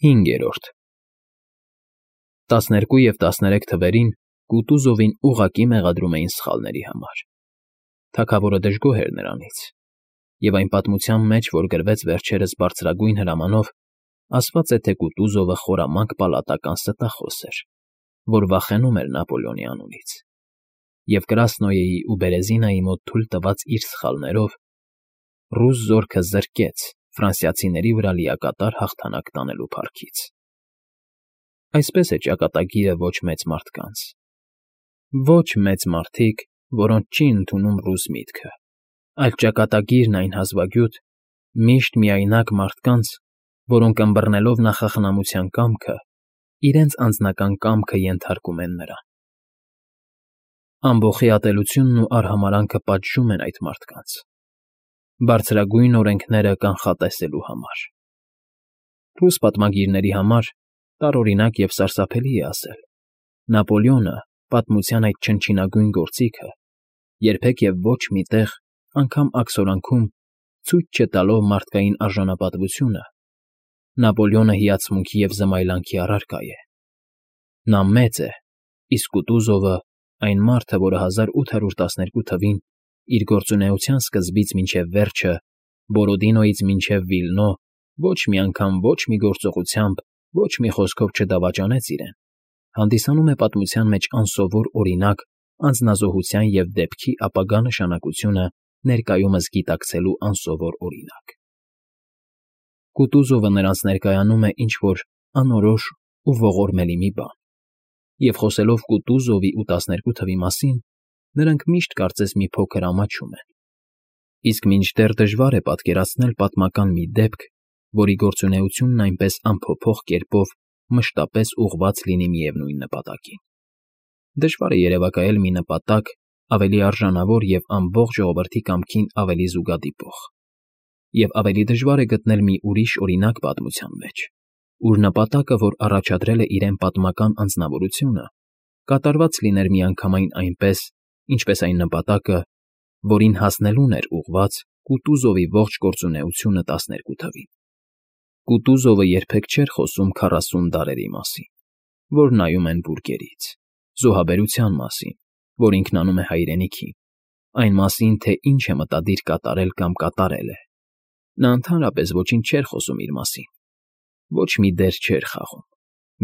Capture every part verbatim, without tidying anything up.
Հինգերորդ Տասներկու և տասներեք թվերին Կուտուզովին ուղղակի մեղադրում էին սխալների համար. թագավորը դժգոհ էր նրանից, և այն պատմության մեջ, որ գրվեց վերջերս բարձրագույն հրամանով, ասված է, թե Կուտուզովը խորամանկ պալատական ստախոս էր, որ վախենում էր Նապոլեոնի անունից, և Կրասնոյեի ու Բերեզինայի մոտ թույլ տված իր սխալներով ռուս զորքը զրկեց ֆրանսիացիների վրա լիակատար հաղթանակ տանելու փառքից։ Այսպես է ճակատագիրը ոչ մեծ մարդկանց, ոչ մեծ մարդիկ, որոնց չի ընդունում ռուս միտքը, այլ ճակատագիրն այն հազվագյուտ, միշտ միայնակ մարդկանց, որոնք ըմբռնելով նախախնամության կամքը, իրենց անձնական կամքը ենթարկում են նրան։ Ամբոխի ատելությունն ու արհամարհանքը պատժում են այդ մարդկանց, բարձրագույն օրենքները կանխատեսելու համար։ Ռուս պատմագիրների համար տարօրինակ և սարսափելի է ասել. Նապոլեոնը, պատմության այդ չնչինագույն գործիքը, երբեք և ոչ մի տեղ, անգամ աքսորանքում, ցույց չտալով մարդկային արժանապատվությունը, Նապոլեոնը հիացմունքի և զմայլանքի առարկա է։ Նա մեծ է, իսկ Կուտուզովը, այն մարդը, որը հազար ութ հարյուր տասներկու թվին իր գործունեության սկզբից մինչև վերջը, Բորոդինոյից մինչև Վիլնո, ոչ մի անգամ ոչ մի գործողությամբ, ոչ մի խոսքով չդավաճանեց իրեն, հանդիսանում է պատմության մեջ անսովոր օրինակ անձնազոհության և դեպքի ապագա նշանակությունը ներկայումս գիտակցելու անսովոր օրինակ։ Կուտուզովը նրանց ներկայանում է ինչ֊որ անորոշ ու ողորմելի մի բան, և խոսելով Կուտուզովի ու տասներկու թվի մասին, նրանք միշտ կարծես մի փոքր ամաչում են, իսկ մինչդեռ դժվար է պատկերացնել պատմական մի դեպք, որի գործունեությունն այնպես անփոփոխ կերպով մշտապես ուղղված լինի միևնույն նպատակին։ Դժվար է երևակայել մի նպատակ ավելի արժանավոր և ամբողջ ժողովրդի կամքին ավելի զուգադիպող, և ավելի դժվար է գտնել մի ուրիշ օրինակ պատմության մեջ, ուր նպատակը, որ առաջադրել է իրեն պատմական անձնավորությունը, կատարված լիներ միանգամայն այնպես, ինչպես այն նպատակը, որին հասնելուն էր ուղղված Կուտուզովի ողջ գործունեությունը տասներկու թվին։ Կուտուզովը երբեք չէր խոսում քառասուն դարերի մասին, որ նայում են բուրգերից, զոհաբերության մասին, որ ինքն անում է հայրենիքին, այն մասին, թե ինչ է մտադիր կատարել կամ կատարել է։ Նա ընդհանրապես ոչինչ չէր խոսում իր մասին, ոչ մի դեր չէր խաղում,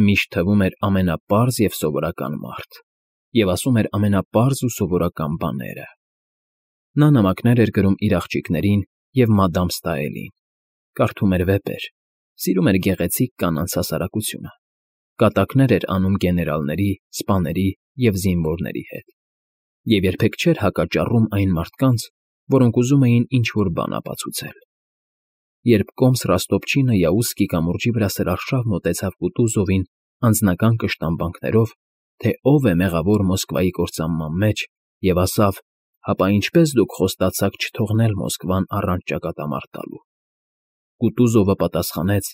միշտ թվում էր ամենապարզ և սովորական մարդ, և ասում էր ամենապարզ ու սովորական բաները։ Նա նամակներ էր գրում իր աղջիկներին և մադամ Ստաելին, կարդում էր վեպեր, սիրում էր գեղեցիկ կանանց հասարակությունը, կատակներ էր անում գեներալների, սպաների և զինվորների հետ, և երբեք չէր հակաճառում այն մարդկանց, որոնք ուզում էին ինչ֊որ բան ապացուցել։ Երբ կոմս Ռոստոպչինը Յաուսկի կամուրջի վրա սրարշավ մոտեցավ Կուտուզովին անձնական կշտամբանքներով, թե ով է մեղավոր Մոսկվայի կործանման մեջ, և ասավ. «Հապա ինչպե՞ս դուք խոստացաք չթողնել Մոսկվան առանց ճակատամարտ տալու»։ Կուտուզովը պատասխանեց.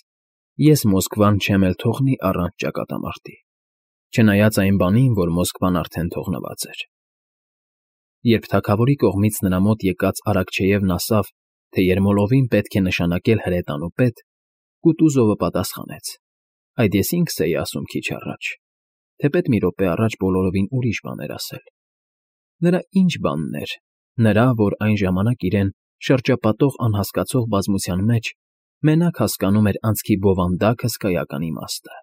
«Ես Մոսկվան չեմ էլ թողնի առանց ճակատամարտի, չնայած այն բանին, որ Մոսկվան արդեն թողնված էր»։ Երբ թագավորի կողմից նրա մոտ եկած Արաքչեևն ասավ, թե Երմոլովին պետք է նշանակել հրետանու պետ, Կուտուզովը պատասխանեց. «Այդ ես ինքս էի ասում քիչ առաջ, թեպետ մի րոպե առաջ բոլորովին ուրիշ բան էր ասել»։ Նրա ի՞նչ բանն էր, նրա, որ այն ժամանակ իրեն շրջապատող անհասկացող բազմության մեջ մենակ հասկանում էր անցքի բովանդակ հսկայական իմաստը։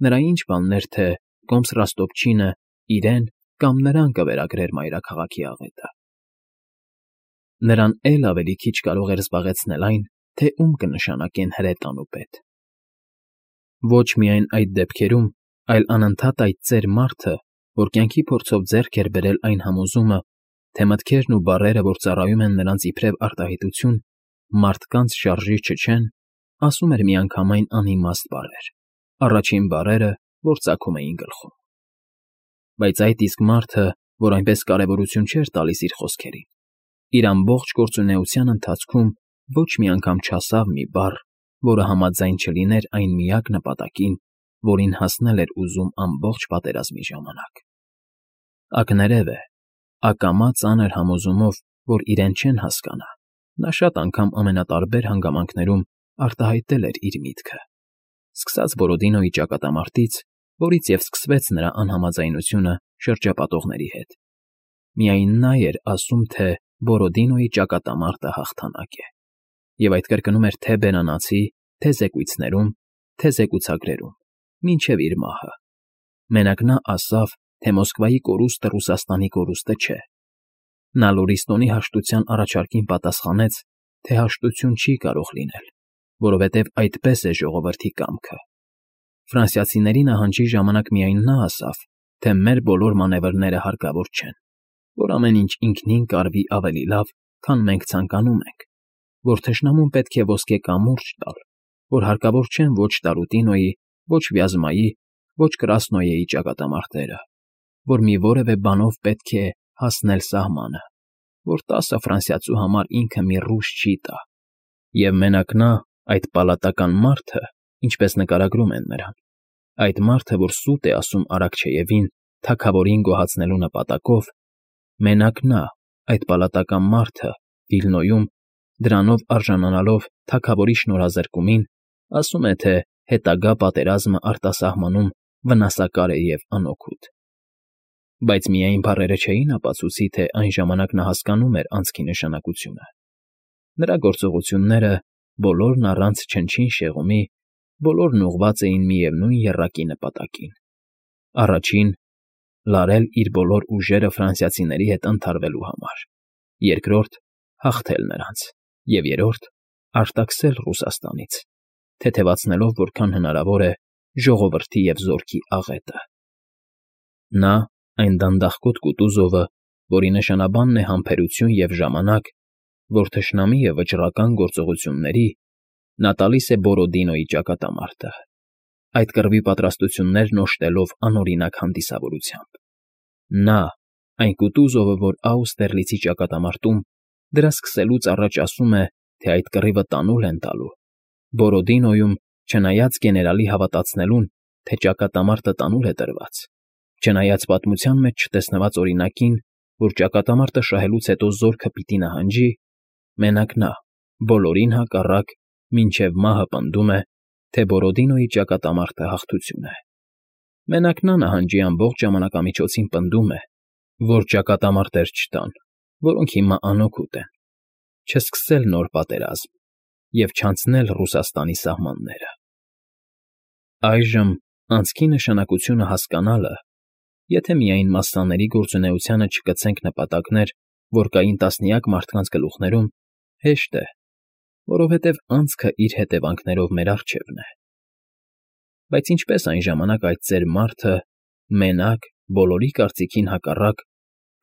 Նրա ի՞նչ բանն էր, թե կոմս Ռոստոպչինը իրեն կամ նրան կվերագրեր մայրաքաղաքի աղետը։ Նրան էլ ավելի քիչ կարող էր զբաղեցնել այն, թե ում կնշանակեն հրետանու պետ։ Ոչ միայն այդ դեպքերում, այլ անընդհատ այդ ծեր մարդը, որ կյանքի փորձով ձեռք էր բերել այն համոզումը, թե մտքերն ու բառերը, որ ծառայում են նրանց իբրև արտահայտություն, մարդկանց շարժիչը չեն, ասում էր միանգամայն անիմաստ բառեր, առաջին բառերը, որ ծագում էին գլխում։ Բայց այդ իսկ մարդը, որ այնպես կարևորություն չէր տալիս իր խոսքերին, իր ամբողջ գործունեության ընթացքում ոչ մի անգամ չասավ մի բառ, որը համաձայն չլիներ այն միակ նպատակին, որին հասնել էր ուզում ամբողջ պատերազմի ժամանակ։ Ակներև է, ակամա ծանր համոզումով, որ իրեն չեն հասկանա, նա շատ անգամ ամենատարբեր հանգամանքներում արտահայտել էր իր միտքը, սկսած Բորոդինոյի ճակատամարտից, որից և սկսվեց նրա անհամաձայնությունը շրջապատողների հետ։ Միայն նա էր ասում, թե Բորոդինոյի ճակատամարտը հաղթանակ է, և այդ կրկնում էր թե բերանացի, թե զեկույցներում, թե զեկուցագրերում, մինչև իր մահը։ Մենակ նա ասավ, թե Մոսկվայի կորուստը Ռուսաստանի կորուստը չէ։ Նա Լորիստոնի հաշտության առաջարկին պատասխանեց, թե հաշտություն չի կարող լինել, որովհետև այդպես է ժողովրդի կամքը։ Ֆրանսիացիների նահանջի ժամանակ միայն նա ասավ, թե մեր բոլոր մանևրները հարկավոր չեն, որ ամեն ինչ ինքնին կարվի ավելի լավ, քան մենք ցանկանում ենք, որ թշնամուն պետք է ոսկե կամուրջ տալ, որ հարկավոր չեն ոչ Տարուտինոյի, ոչ Վյազմայի, ոչ Կրասնոյեի ճակատամարտերը, որ մի որևէ բանով պետք է հասնել սահմանը, որ տասը ֆրանսիացու համար ինքը մի ռուս չի տա, և մենակ նա, այդ պալատական մարդը, ինչպես նկարագրում են նրան, այդ մարդը, որ սուտ է ասում Արաքչեևին թագավորին գոհացնելու նպատակով, մենակ նա, այդ պալատական մարդը, Վիլնոյում, դրանով արժանանալով թագավորի շնորհազրկումին, ասում է, թե հետագա պատերազմը արտասահմանում վնասակար է և անօգուտ։ Բայց միայն բառերը չէին ապացուցի, թե այն ժամանակ նա հասկանում էր անցքի նշանակությունը։ Նրա գործողությունները, բոլորն առանց չնչին շեղումի, բոլորն ուղղված էին միևնույն եռակի նպատակին. առաջին՝ լարել իր բոլոր ուժերը ֆրանսիացիների հետ ընդհարվելու համար, երկրորդ՝ հաղթել նրանց, և երրորդ՝ արտաքսել Ռուսաստանից, թեթևացնելով որքան հնարավոր է ժողովրդի և զորքի աղետը։ Նա, այն դանդաղկոտ Կուտուզովը, որի նշանաբանն է համբերություն և ժամանակ, որ թշնամի է վճռական գործողությունների, նա տալիս է Բորոդինոյի ճակատամարտը, այդ կռվի պատրաստություններն օժտելով անօրինակ հանդիսավորությամբ։ Նա, այն Կուտուզովը, որ Աուստերլիցի ճակատամարտում դրա սկսելուց առաջ ասում է, թե այդ կռիվը տանուլ են տալու, Բորոդինոյում, չնայած գեներալի հավատացնելուն, թե ճակատամարտը տանուլ է տրված, չնայած պատմության մեջ չտեսնված օրինակին, որ ճակատամարտը շահելուց հետո զորքը պիտի նահանջի, մենակ նա, բոլորին հակառակ, մինչև մահը պնդում է, թե Բորոդինոյի ճակատամարտը հաղթություն է։ Մենակ նա նահանջի ամբողջ ժամանակամիջոցին պնդում է, որ ճակատամարտեր չտան, որոնք հիմա անօգուտ են, չսկսել նոր պատերազմ և չանցնել Ռուսաստանի սահմանները։ Այժմ անցքի նշանակությունը հասկանալը, եթե միայն մասսաների գործունեությանը չկցենք նպատակներ, որ կային տասնյակ մարդկանց գլուխներում, հեշտ է, որովհետև անցքը իր հետևանքներով մեր առջևն է։ Բայց ինչպես այն ժամանակ այդ ծեր մարդը, մենակ, բոլորի կարծիքին հակառակ,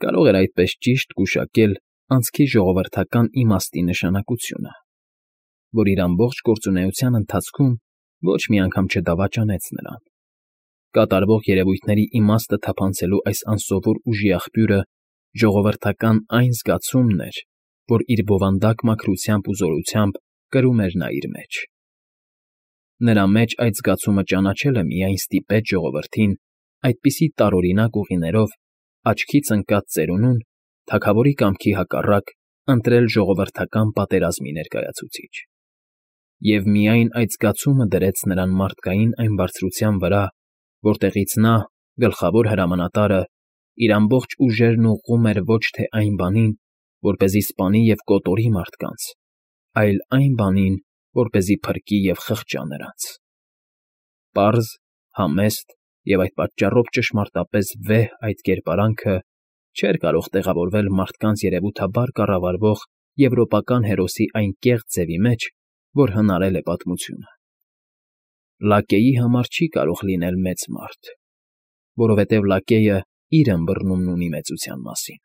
կարող էր այդպես ճիշտ գուշակել անցքի ժողովրդական իմաստի նշանակությունը, որ իր ամբողջ գործունեության ընթացքում ոչ մի անգամ չդավաճանեց նրան։ Կատարվող երևույթների իմաստը թափանցելու այս անսովոր ուժի աղբյուրը ժողովրդական այն զգացումն էր, որ իր բովանդակ մաքրությամբ ու զորությամբ կրում էր նա իր մեջ։ Նրա մեջ այդ զգացումը ճանաչելը միայն ստիպեց ժողովրդին այդպիսի տարօրինակ ուղիներով աչքից ընկած ծերունուն, թագավորի կամքի հակառակ, ընտրել ժողովրդական պատերազմի ներկայացուցիչ։ Եվ միայն այդ զգացումը դրեց նրան մարդկային այն բարձրության վրա, որտեղից նա, գլխավոր հրամանատարը, իր ամբողջ ուժերն ուղղում էր ոչ թե այն բանին, որպեսզի սպանի և կոտորի մարդկանց, այլ այն բանին, որպեսզի փրկի և խղճա նրանց։ Պարզ, համեստ և այդ պատճառով ճշմարտապես վեհ այդ կերպարանքը չէր կարող տեղավորվել մարդկանց երևութաբար կառավարվող եվրոպական հերոսի այն կեղծ ձևի մեջ, որ հնարել է պատմությունը։ Լակեի համար չի կարող լինել մեծ մարդ, որովհետև լակեյը իր ըմբռնումն ունի մեծության մասին։